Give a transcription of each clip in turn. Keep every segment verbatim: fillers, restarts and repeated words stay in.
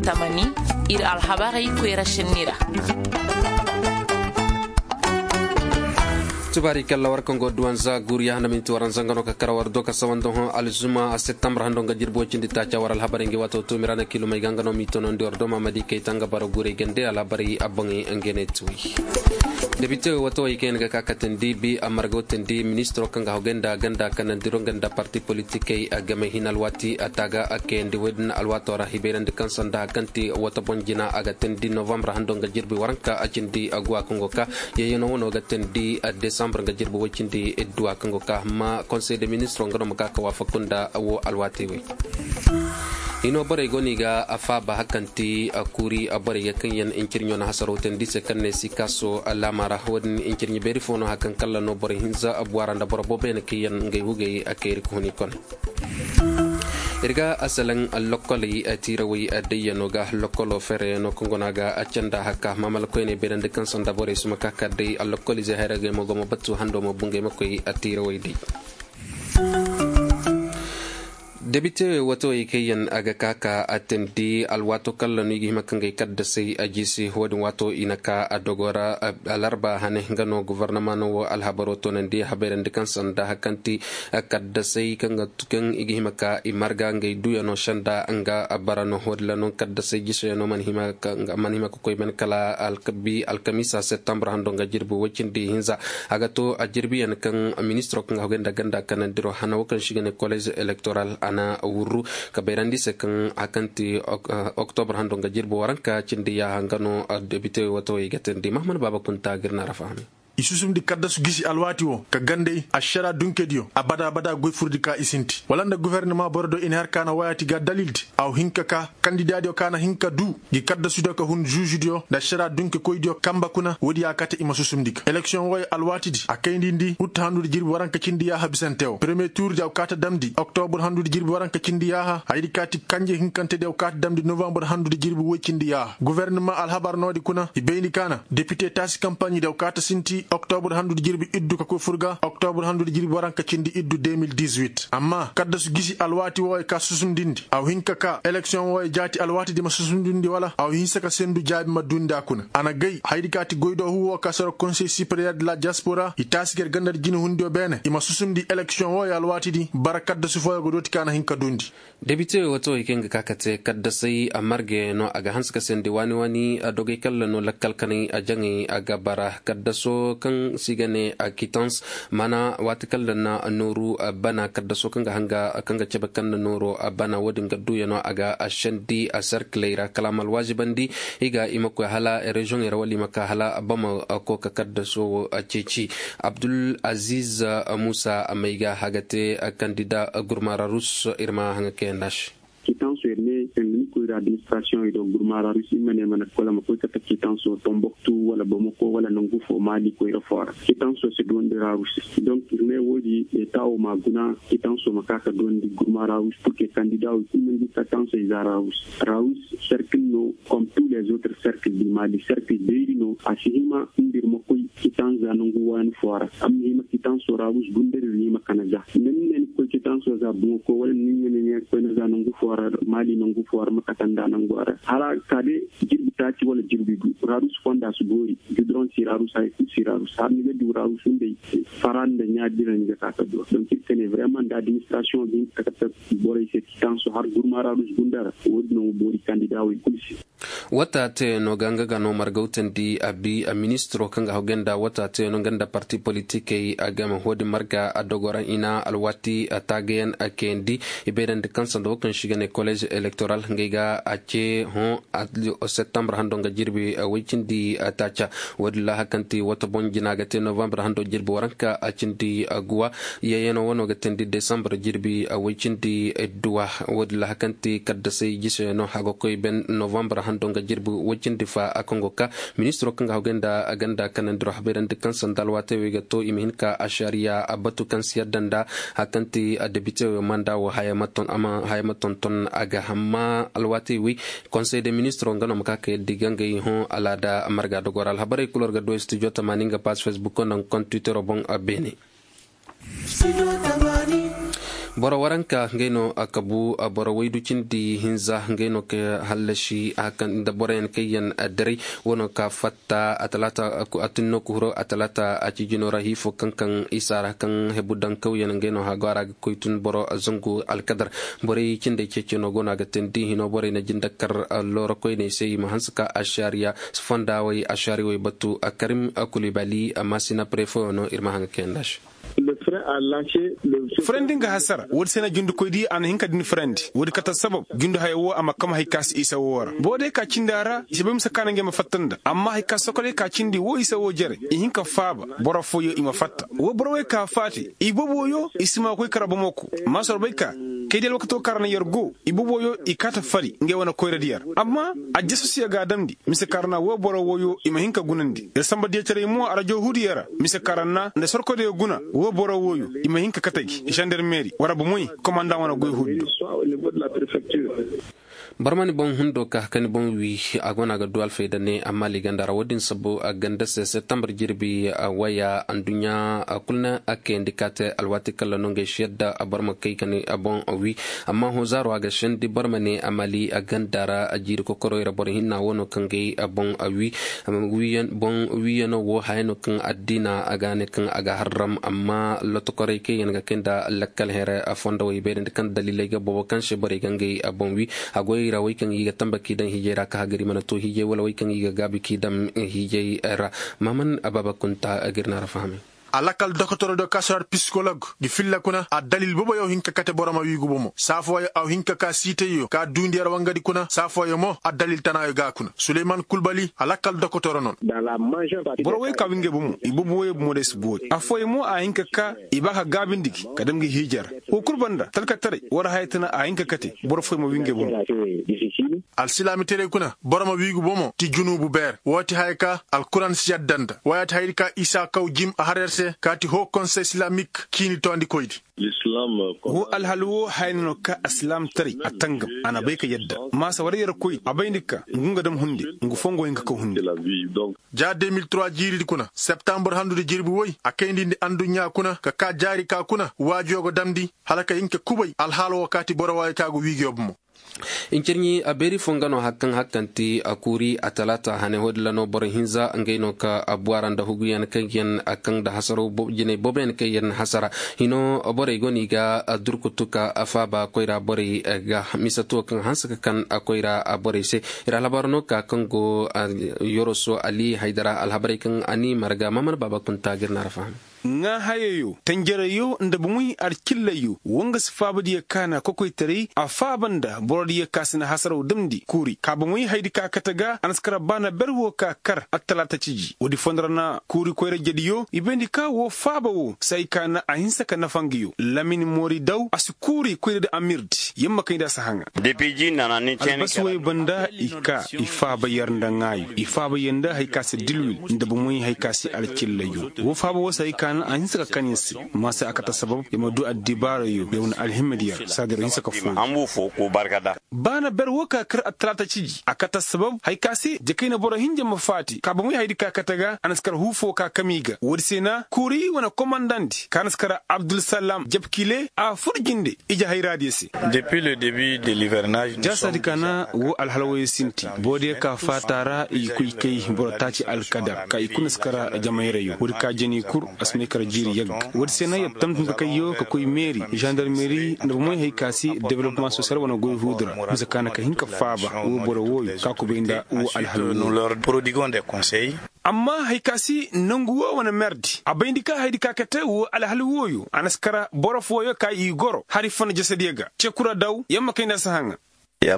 Tamani, ir alhabarey koyra šenni ra. Tubaari kalla war kaŋ go duwanza guuriya handa minti waranza nga no ka kara war do ka sawanda hõ alzuma a septembre hando nga jirbi way cindi taaca war alhabarey ngi waato tuumi ra na kilomey ga nga no m'i tonondi war do ma madi kay ta nga bara guurey gande alhabarey a boŋey nga ne tuwi. Debite watawey kaŋ yaŋ ga ka katandi bi a marga watandi ministiro kaŋ ga hogay nda ganda kanandiro nga nda parti politikey a game hin alwaati a taaga a kayandi woy din alwaato ra hibayrandi kaŋ sanda kaŋ ti wata boŋ jina a ga tandi novembre hando nga jirbi waranka a cindi a guwa kaŋ go ka. Yayano wano ga tandi a desambre nga jirbi way cindi idduwa kaŋ go ka amma konsey de ministiro nga no ma ka ka waafaku nda wo alwaatey wey. Hino borey go no i ga a faaba hakanti a kuuri a borey ga kaŋ yaŋ incirɲo na hasaro tandi se kaŋ ne si kaaso laama ra wo-din incirɲi beeri fo no hakan kalla no borey hinza a buwa ra nda boro boobo yaŋ kaŋ yaŋ ngey hugey a kayri ka huni kone. Ir ga a salaŋ lokkoley tiirawey dayyano ga lokkolo feerayano kaŋ go no a ga a canda haka maamala koyney beerandi kaŋ sanda borey suma ka ka day a lokkolizey hayragey mo go ma batu hando mo bungey ma koy a tiirawey day. Debite watawey kaŋ yaŋ a ga ka ka a tindi alwaato kalla no i ga hima ka ngey kaddasey a jiisi wo-din waato i na ka a dogo ra. Alarba hane nga no gofornama no wo alhabaro toonandi habayrandi kaŋ sanda hakanti kaddasey kaŋ i ga hima ka i marga ngey duyano senda nga bara no wo-din ra no kaddasey jiiseyano mana hima ka koy bene kala alkamiisa septembre hando nga jirbi way cindi hinza. A ga to a jirbiyaŋ kaŋ ministiro kaŋ ga hogay nda ganda kanandiro hana wo kaŋ se i ga ne kolez elektoral a na wurru ka bayrandi se kaŋ a kaŋ ti oktobre hando nga jirbi waranka cindi yaaha nga no debite watawey ga teendi mahamman baaba kunta ga ir na ra fahami. I susumndi kaddasu gisi alwaati wo ka gandey ašara dunkediyo abada abada goy furdi ka i sinti wala nda gofornama borodiyo i na har ka na wayaati ga dalildi. Aw hin ka ka kandidaadiyo ka na hin ka du gi kaddasudiyo ka hun žuužudiyo nda ašara dunkekoydiyo kanba kuna woodi ya kate i ma susumndi ga eleksiyoŋ wooyo alwaatidi a kayndi ndi ut handu nda jirbi waranka cindi yaaha bisante wo premiye tuurdi aw kaata damndi oktobur handu nda jirbi waranka cindi yaaha hayadi kaati kanje hinkantedi aw kaata damndi novambur handu nda jirbi woy cindi yaaha gofornama alhabar noodi kuna i bayndi ka na depite taasi kampaɲidi aw kaata sinti oktobur handu nda jirbi iddu ka koy fur ga oktobur handu nda jirbi waranka cindi iddu deux mille dix-huit amma kaddasu gisi alwaati wooyo ka susumdindi aw hin ka ka eleksiyoŋ wooyo jaati alwaatidi ma susumdindi wala aw hinsa ka sendu jaabi ma duundi a kuna a na gay hayadi kaati goydoo huu woo ka soro konsey sipereyer de la diaspora i taasi ga ir ganda nda jinehundiyo beene i ma susumndi eleksiyoŋ wooyo alwaatidi bara kaddasu fooyo ga dooti ka na hin ka duundi. Debite watawey kaŋ ga ka ka te kaddasey a margey no a ga hanse ka sendi waani waani a dogey kalla no lakkal kanay a jaŋay a ga bara kaddaso kaŋ se i ga ne a kitans maana waati kalla na nooru bana kaddaso kaŋ ga hanga kaŋ ga cabe kaŋ na nooro bana wo-din ga duuyano a ga a sendi a serkiley ra kala a ma alwaazibandi i ga i ma koy hala reziyoŋey ra wala i ma ka hala bama kooka kaddaso wo a ceeci. Abdul aziz muusa may ga a ga te kandida gurmaararus ir ma haŋa kayandi a se. Kitanso ir ne sangni koyra administrasiyoŋey do gurmaararus ir ma ne mana kola ma koy kate kitanso tomboktu wala bamako wala nangu fo maali koyra fo ra kitanso si duwandi rarus. Donk ir ne woodi eta wo ma guna kitanso ma ka ka duwandi gurmaararus purke kandida wo ir ma ngi katansey za rarus. Rarus serkil no kom tu les autres serkil di maali serkil beeri no a si hima nda ir ma koy kitan za nangu waani fo ra. Amma hima kitan sora wus gundari ni ma kana za. Nan ne ni koy kitan so za bungo ko wala ni ne ni koy na za nangu fo ra mali nangu fo ra ma katan da nangu ara hala kade. Jirbi taci wala jirbi du rarus fonda su gori gudron si rarus ay ku si rarus har ni ga du rarus ndey. Faran da nya dira ni ga kaka do donc il kene vraiment da administration din kaka ta boray se kitan so har gurma rarus gundara wodi no bori kandida way kulsi. Wata teyano ga nga ga no margawtandi a bi a ministiro kaŋ ga hawgay nda wata teyano nga nda parti politikey a game hoodi marga a dogoraŋ i na alwaati a taagayaŋ a kayandi. I bayrandi kaŋ sanda wo kaŋ se i ga ne kolej elektoral ngey ga a ce hõ septembre hando nga jirbi way cindi taaca. Woodin ra hari kaŋ ti wata boŋ jina ga te novembre hando jirbi waranka a cindi guwa. Yayano wano ga teendi desambre jirbi way cindi duwa. Woodin ra hari kaŋ ti kaddasay jisayano a ga koy ben novembre hando nga jirbi way cindi fa a kaŋ go ka ministiro kaŋ ga hawgay nda ganda kanandiro habayrandi kaŋ sanda alwaatey wey ga to i ma hin ka ašariya a batu kaŋ si yadda nda hari kaŋ ti debite wey manda wo haya ma tonton a ga hamma alwaatey wey. Konsey de ministiro nga no ma ka ka yadda i ga ngey hõ alaada marga dogora alhabarey kulu war ga du studio tamaani nga paas facebook nda nga konti twittero boŋ beene. Boro waranka ngey no a kabu boro waydu cindi hinza ngey no ka hallasi a kan nda boroyaŋ kaŋ yaŋ daray wano ka fatta a talaata a tunno ka huro a talaata a cijino ra hiifo kaŋ kaŋ isa ra kaŋ hebu daŋ kawyaŋ ngey no hago a ra ga koy tun boro zangu alkadar. Borey cindey ceeceno go no a ga teendi hino borey na jinde kar looro koyney se i ma hanse ka ašariya fonda wey ašariya wey batu karim kulibali maasina prefo no ir ma haŋ ga kayanda se. Furandi nga hasara woodi se na jundikoydi a na hin ka din furandi woodi kate sabab jundu haya wo a ma kam hari ka si isa wo ra boro day ka cindi a ra i si bay mise ka na ngey ma fatta nda amma hari ka sokolay ka cindi wo isa wo jere i hin ka faaba boro fooyo i ma fatta wo boro wey ka faati i boboyo i si ma koy kara bomo ko maasoro bay ka kay di alwakato ka ra na yer go i boboyo i kaata fari ngey wane koyradiyo ra amma aljasasuyo ga a damndi mise ka ra na wo boro wooyo i ma hin ka gunandi ir samba diyataray mo arajo huudiyo ra mise ka ra na nda sorkoydiyo guna wo boro wooyo i ma hin ka kate gi zandarmeri wara bomoy komandaŋ wane goy huudu do. Barmani boŋ hundo ka kani boŋ wi a go no a ga du alfayda ne amma liiganda ra wo- din sabu a ganda se septembre jirbi waya anduɲɲa kulu na a kayandi ka te alwaati kala no ngey si yadda boro ma kay kani boŋ wi amma hozaro a ga sendi boro ma ne a mali a ganda ra a jiiri kokoroy ra boro hinna wo no kaŋ gay boŋ wi boŋ wiyano wo haya no kaŋ addiina a ga ne kaŋ a ga harram amma lotokorey kaŋ yaŋ ga kay nda lakkal here fondowey beerandi kaŋ daliley ga boobo kaŋ se borey ga ngey boŋ wi a goyey ra wey kaŋ i ga tamba k'i daŋ hiijey ra ka hagari mana to hiijey wala wey kaŋ i ga gaabi k'i daŋ hiijey ra. Maman ababa kunta gir na ra fahamay. A lakal dokotoro do kasorat psikolog gi filla kuna addalil boboyo hin ka kate boro ma wiigu bomo saafooyo aw hin ka ka siiteyo ka duundi yar wangadi kuna saafooyo mo addalil tanaayo ga kuna suleyman kulbali a lakal dokotoro non. Boro wey ka wi ngey bomo i boboyo bomo day si boori affooyo mo a hin ka ka i ba ka gaabindi gi ka dam gi hiijara wo kul banda talkataray war haya tana a hin ka kate boro fooyo ma wi ngey bomo. Alsilaamitaray kuna boro ma wiigu bomo ti junuubu beer woo ti haya ka alkuran si yadda nda woo yaati hayadi ka isa kaw jim a har yer se kaati hoo konsey silaamik ciini toondikoydi. Woo alhal woo haya no ka alsilaamtaray a tangam a na bay ka yadda maasa war yer koy a bayndi ka ngu nga dam hunde ngu foo ngu hin ka kaw hunde. Ja deux mille trois jiiridi kuna septambur handudi jirbi woy a kayndi nda anduɲɲa kuna ka kaa jaari ka kuna waajuyo go damndi hala ka hin ka kubay alhaal woo kaati boro waayo ka go wiigiyo bomo. Incirɲi a beeri foo nga no hari kaŋ hakkanti a kuuri a talaata hane hoodin ra no boro hinza ngey no ka a buwara nda huguyaŋ kaŋ yaŋ a kaŋ nda hasaraw jinay booboyaŋ kaŋ yaŋ hasara hino borey go no i ga durkutu ka faaba koyra borey ga mise tuwo kaŋ hanse ka kan koyra borey se. Ir alhabar no ka kaŋ go yoroso ali haydara alhabarey kaŋ a ni marga maman baaba kunta ga ir na ra faham. Ŋaahayayo tanjarayo nda bomoy alcillayyo wo nga si faabadiyo ka na kokoytaray a faaba nda borodiyo ka si na hasaraw damndi kuuri ka bomoy hayadi ka kate ga a na si kar baana ber wo ka kar attalaata ciji woodi fondo ra na kuuri koyra jediyo i bayndi ka wo faaba wo si hay ka na a hinsa ka nafa ngayo lamin moori daw a si kuuri koyra di amirdi yamma kay nda a si haŋa. Albasu wey banda i ka i faaba yer nda ŋaayo i faaba yer nda hay ka si dilwil nda bomoy hay ka si alcillayyo wo faaba wo si hay ka na a hinsa ka kan yer se. Maasa a kate sabab yer ma du addibaarayo yer wane alhimma di yer saadiro hinsa ka foo. Baana ber wo ka kar attalaata ciji a kate sabab hay ka se jakayna boro hinja ma faati ka bomoy hayadi ka kate ga a na si kar huu foo ka kami ga woodi se na kuuri wane komandandi ka na si kar abdulsalam jabkile a fur jinde ije hayraadiyo se. Jaasadi ka na woo alhala wooyo sinti boodiyo ka faata ra i koy kay boro taaci alkadar ka i kuna si kara jamayrayoo woodi ka jani kur a si may kara jiiri yagga woodi se na yer tamtum ka kayyo ka koy meeri zandarmeri nda bomoy hay ka si development sosiyal wane goy huudu ra mise ka na ka hin ka faaba woo boro wooyo ka kubay nda woo alhala wooyo. Amma hay ka si nangu woo wane merdi a bayndi ka hayadi ka kate woo alhal wooyo a na si kara boro fooyo ka i goro hari fana jasadiyo ga cekura daw yamma kayndi a si haŋa. Nda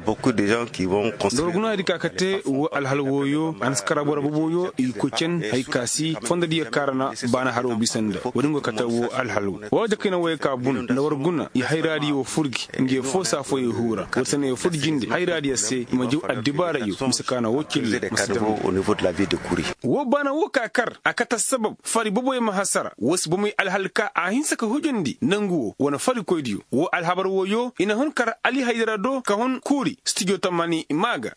war guna hayadi ka kate woo alhal wooyo a na si kara boro boboyo i koy cen hay ka si fondodiyo ka ra na baana haroo bisa nda woodi nga kate woo alhal woo war jakayna wooyo ka bun nda war guna i hayraadiyo fur gi nga yer foo saa foo yer huura woodi se na yer fur jinde hayraadiyo se i ma jaw addibaarayo mise ka na woo cille ma si dam. Woo baana woo ka kar a kate sabab fari boboyo ma hasara woo si bomoy alhal ka a hinsa ka hujandi nangu woo wane farikoydiyo woo alhabar wooyo i na hun kar ali haydara do ka hun kuuri stijo tamani maa ga.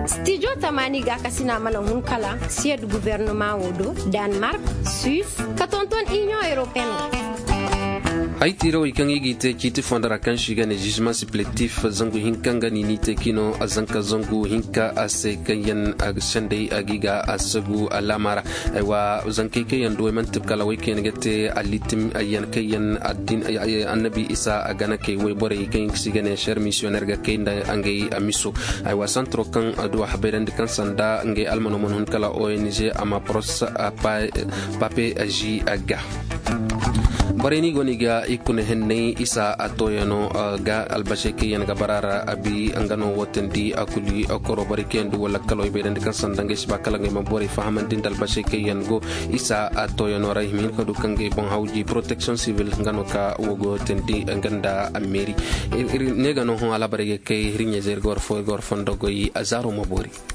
Stijo tamani gaakasina mana hun kala siyed gubernama woo do, danmark, suis, ka tonton inion europeen woo. Ay tiirawey kaŋ i g'i te ciiti fondo ra kaŋ se i ga ne zizima sipletif zangu hinka nga ni n'i te kino a zanka zangu hinka a se kaŋ yaŋ a ga senday a g'i ga a sagu alaama ra. Aywa, zankey kaŋ yaŋ duwey manti kala wey kaŋ yaŋ ga te alitim yaŋ kaŋ yaŋ addin annabi isa a gana kay wayborey kaŋ yaŋ ga si ga ne ser misiyoner ga kay nda ngey miso. Aywa, santro kaŋ a du a habayrandi kaŋ sanda ngey almano mana hun kala ong a ma pros pape zi ga. Borey no i go no i ga i kuna henney isa a tooyano ga albasey kaŋ yaŋ ga bara ra a bi nga no woo teendi a kuli koro borey kaŋ yaŋ du wala kalo i bayrandi kaŋ sanda ngey si ba kala ngey ma borey fahamandi nda albasey kaŋ yaŋ go isa a tooyano ra i ma hin ka du kaŋ ngey boŋ hawji protection civil nga no ka woo go teendi nga nda meeri. Ne ga no hõ alaabarey ga kay hirɲey zey ir ga war fo ir ga war fondo goy a zaaro ma boori.